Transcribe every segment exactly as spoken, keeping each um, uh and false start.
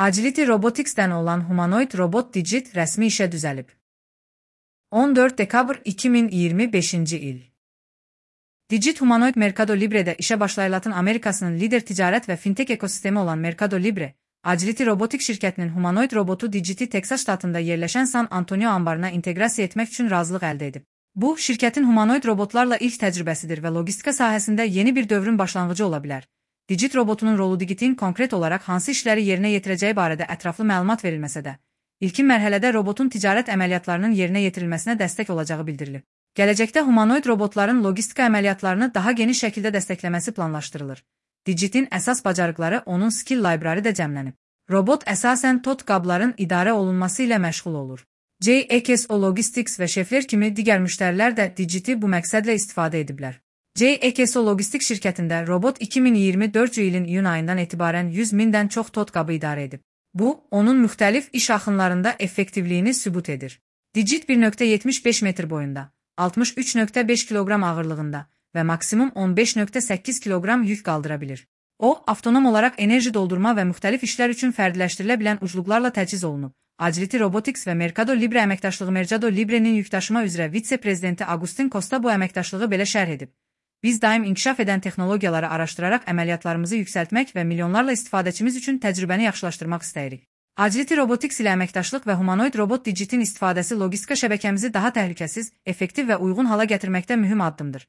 Agility Robotics'dən olan humanoid robot Digit rəsmi işə düzəlib. on dörd dekabr iki min iyirmi beşinci il. Digit humanoid Mercado Libre'də işə başlayan Latin Amerikasının lider ticarət və fintech ekosistemi olan Mercado Libre, Agility Robotics şirkətinin humanoid robotu Digit'i Texas ştatında yerləşən San Antonio anbarına inteqrasiya etmək üçün razılıq əldə edib. Bu, şirkətin humanoid robotlarla ilk təcrübəsidir və logistika sahəsində yeni bir dövrün başlanğıcı ola bilər. Digit robotunun rolu Digit'in konkret olaraq hansı işləri yerinə yetirəcəyi barədə ətraflı məlumat verilməsə də, ilkin mərhələdə robotun ticarət əməliyyatlarının yerinə yetirilməsinə dəstək olacağı bildirilib. Gələcəkdə humanoid robotların logistika əməliyyatlarını daha geniş şəkildə dəstəkləməsi planlaşdırılır. Digit'in əsas bacarıqları onun skill library də cəmlənib. Robot əsasən tot qabların idarə olunması ilə məşğul olur. J X O Logistics və Şefler kimi digər müştərilər də Digit'i bu məqsədlə istifadə ediblər. J X O Logistics şirkətində robot iki min iyirmi dördüncü ilin iyun ayından etibarən yüz mindən çox tot qabı idarə edib. Bu, onun müxtəlif iş axınlarında effektivliyini sübut edir. Digit bir nöqtə yetmiş beş metr boyunda, altmış üç nöqtə beş kiloqram ağırlığında və maksimum on beş nöqtə səkkiz kiloqram yük qaldıra bilir. O, avtonom olaraq enerji doldurma və müxtəlif işlər üçün fərdiləşdirilə bilən ucluqlarla təchiz olunub. Agility Robotics və Mercado Libre əməkdaşlığı Mercado Libre'nin yükdaşıma üzrə vitse-prezidenti Agustin Costa bu əməkdaşlığı belə şərh edib. Biz daim inkişaf edən texnologiyaları araşdıraraq əməliyyatlarımızı yüksəltmək və milyonlarla istifadəçimiz üçün təcrübəni yaxşılaşdırmaq istəyirik. Agility Robotics ilə əməkdaşlıq və humanoid robot Digit'in istifadəsi logistika şəbəkəmizi daha təhlükəsiz, effektiv və uyğun hala gətirməkdə mühüm addımdır.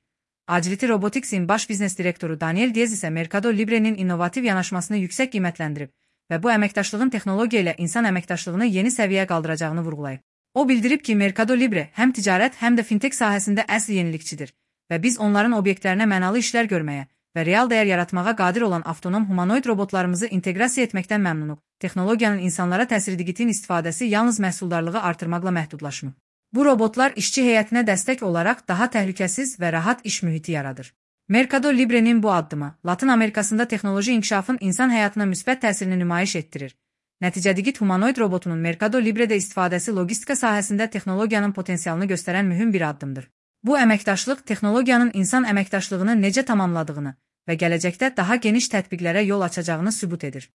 Agility Robotics'in baş biznes direktoru Daniel Diaz isə Mercado Libre'nin innovativ yanaşmasını yüksək qiymətləndirib və bu əməkdaşlığın texnologiya ilə insan əməkdaşlığını yeni səviyyəyə qaldıracağını vurğulayıb. O bildirib ki, Mercado Libre həm ticarət, həm də fintech sahəsində əsl yenilikçidir və biz onların obyektlərinə mənalı işlər görməyə və real dəyər yaratmağa qadir olan avtonom humanoid robotlarımızı inteqrasiya etməkdən məmnunuq. Texnologiyanın insanlara təsiri Digit'in istifadəsi yalnız məhsuldarlığı artırmaqla məhdudlaşmır. Bu robotlar işçi heyətinə dəstək olaraq daha təhlükəsiz və rahat iş mühiti yaradır. Mercado Libre'nin bu addımı Latin Amerikasında texnoloji inkişafın insan həyatına müsbət təsirini nümayiş etdirir. Nəticə Digit humanoid robotunun Mercado Libre'də istifadəsi logistika sahəsində texnologiyanın potensialını göstərən mühüm bir addımdır. Bu əməkdaşlıq texnologiyanın insan əməkdaşlığını necə tamamladığını və gələcəkdə daha geniş tətbiqlərə yol açacağını sübut edir.